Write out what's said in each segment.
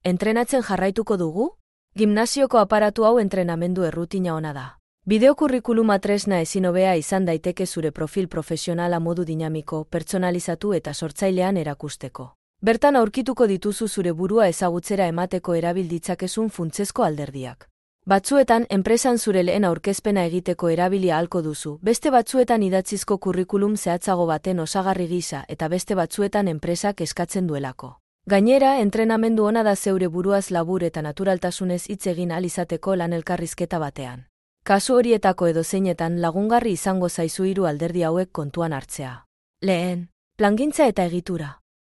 Entrenatzen jarraituko dugu? Gimnasioko aparatu hau entrenamendu errutina ona da. Bideokurrikuluma tresna ezin hobea izan daiteke zure profil profesionala modu dinamiko, pertsonalizatu eta sortzailean erakusteko. Bertan aurkituko dituzu zure burua ezagutzera emateko erabil ditzakezun funtsezko alderdiak. Batzuetan, enpresan zure lehen aurkezpena egiteko erabili ahalko duzu, beste batzuetan idatzizko kurrikulum zehatzago baten osagarri gisa eta beste batzuetan enpresak eskatzen duelako. Gainera, entrenamendu ona da zeure buruaz labur eta naturaltasunez hitz egin ahal izateko lan elkarrizketa batean. Kasu horietako edozeinetan lagungarri izango zaizu hiru alderdi hauek kontuan hartzea. Lehen, plangintza eta egitura.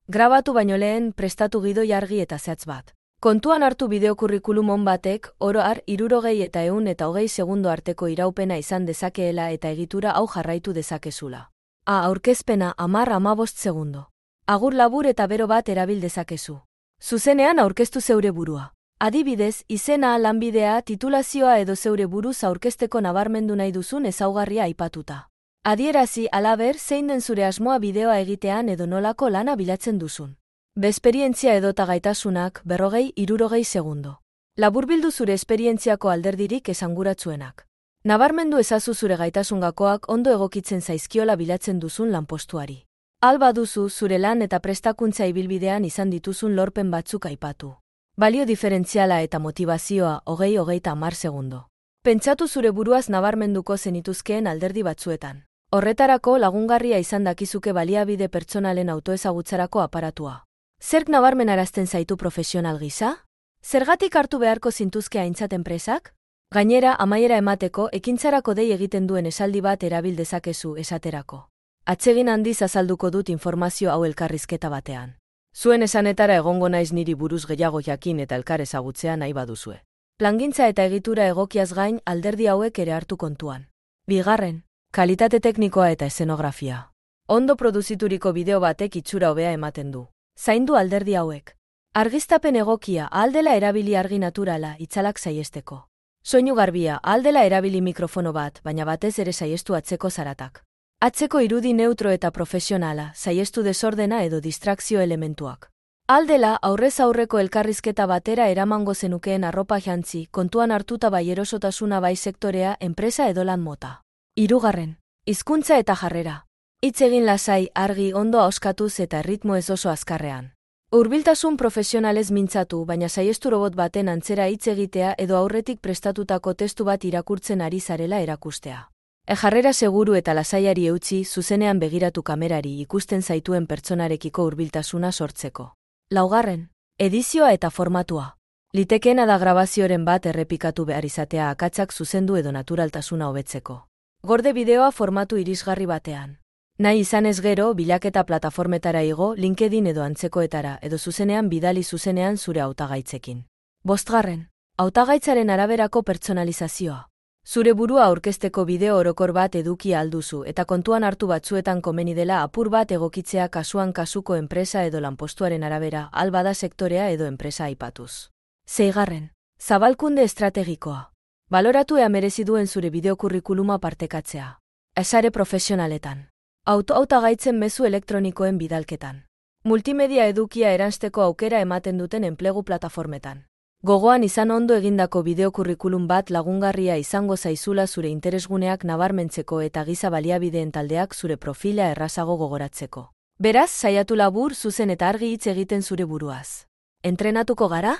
Grabatu baino lehen prestatu gidoi argi eta zehatz bat. Kontuan hartu bideokurrikulum on batek, oro har 60 eta 120 segundo arteko iraupena izan dezakeela eta egitura hau jarraitu dezakezula. Aurkezpena 10-15 segundo. Agur labur eta bero bat erabil dezakezu. Zuzenean aurkeztu zeure burua. Adibidez, izena, lanbidea, titulazioa edo zeure buruz aurkezteko nabarmendu nahi duzun ezaugarria aipatuta. Adierazi halaber zein den zure asmoa bideoa egitean edo nolako lana bilatzen duzun. Esperientzia edota gaitasunak 40-60 segundo. Laburbildu zure esperientziako alderdirik esanguratsuenak. Nabarmendu ezazu zure gaitasungakoak ondo egokitzen zaizkiola bilatzen duzun lanpostuari. Alba duzu zure lan eta prestakuntza ibilbidean izan dituzun lorpen batzuk aipatu. Balio diferentziala eta motivazioa 20-30 segundo. Pentsatu zure buruaz nabarmenduko zenituzkeen alderdi batzuetan. Horretarako lagungarria izan dakizuke baliabide pertsonalen autoezagutzarako aparatua. Zerk nabarmenarazten zaitu profesional gisa? Zergatik hartu beharko zintuzke aintzat enpresak? Gainera, amaiera emateko ekintzarako dei egiten duen esaldi bat erabil dezakezu esaterako. Atsegin handiz azalduko dut informazio hau elkarrizketa batean. Zuen esanetara egongo naiz niri buruz gehiago jakin eta elkar ezagutzea nahi baduzue. Plangintza eta egitura egokiaz gain alderdi hauek ere hartu kontuan. Bigarren, kalitate teknikoa eta eszenografia. Ondo produzituriko bideo batek itxura hobea ematen du. Zaindu alderdi hauek. Argiztapen egokia ahaldela erabili argi naturala itzalak saiesteko. Soinu garbia ahaldela erabili mikrofono bat, baina batez ere saiestu atzeko zaratak. Atzeko irudi neutro eta profesionala, saiestu desordena edo distrakzio elementuak. Aldela aurrez aurreko elkarrizketa batera eramango zenukeen arropa jantzi, kontuan hartuta bai erosotasuna bai sektorea, enpresa edo lan mota. Hirugarren, hizkuntza eta jarrera. Hitz egin lasai, argi, ondo ahoskatuz eta erritmo ez oso azkarrean. Hurbiltasun profesionalez mintzatu, baina saiestu robot baten antzera hitz egitea edo aurretik prestatutako testu bat irakurtzen ari zarela erakustea. Jarrera seguru eta lasaiari eutsi, zuzenean begiratu kamerari ikusten zaituen pertsonarekiko hurbiltasuna sortzeko. Laugarren, edizioa eta formatua. Litekeena da grabazioren bat errepikatu behar izatea akatsak zuzendu edo naturaltasuna hobetzeko. Gorde bideoa formatu irisgarri batean. Nahi izanez gero, bilaketa plataformetara igo, LinkedIn edo antzekoetara, edo zuzenean bidali zuzenean zure hautagaitzekin. Bosgarren, hautagaitzaren araberako pertsonalizazioa. Zure burua aurkezteko bideo orokor bat eduki alduzu eta kontuan hartu batzuetan komeni dela apur bat egokitzea kasuan kasuko enpresa edo lanpostuaren arabera, albada sektorea edo enpresa aipatuz. Seigarren, zabalkunde estrategikoa. Baloratu ea merezi duen zure bideokurrikuluma partekatzea. Esare profesionaletan. Hautagaitzen mezu elektronikoen bidalketan. Multimedia edukia eransteko aukera ematen duten enplegu plataformetan. Gogoan izan ondo egindako bideokurrikulum bat lagungarria izango zaizula zure interesguneak nabarmentzeko eta giza baliabideen taldeak zure profila errazago gogoratzeko. Beraz, saiatu labur, zuzen eta argi hitz egiten zure buruaz. Entrenatuko gara?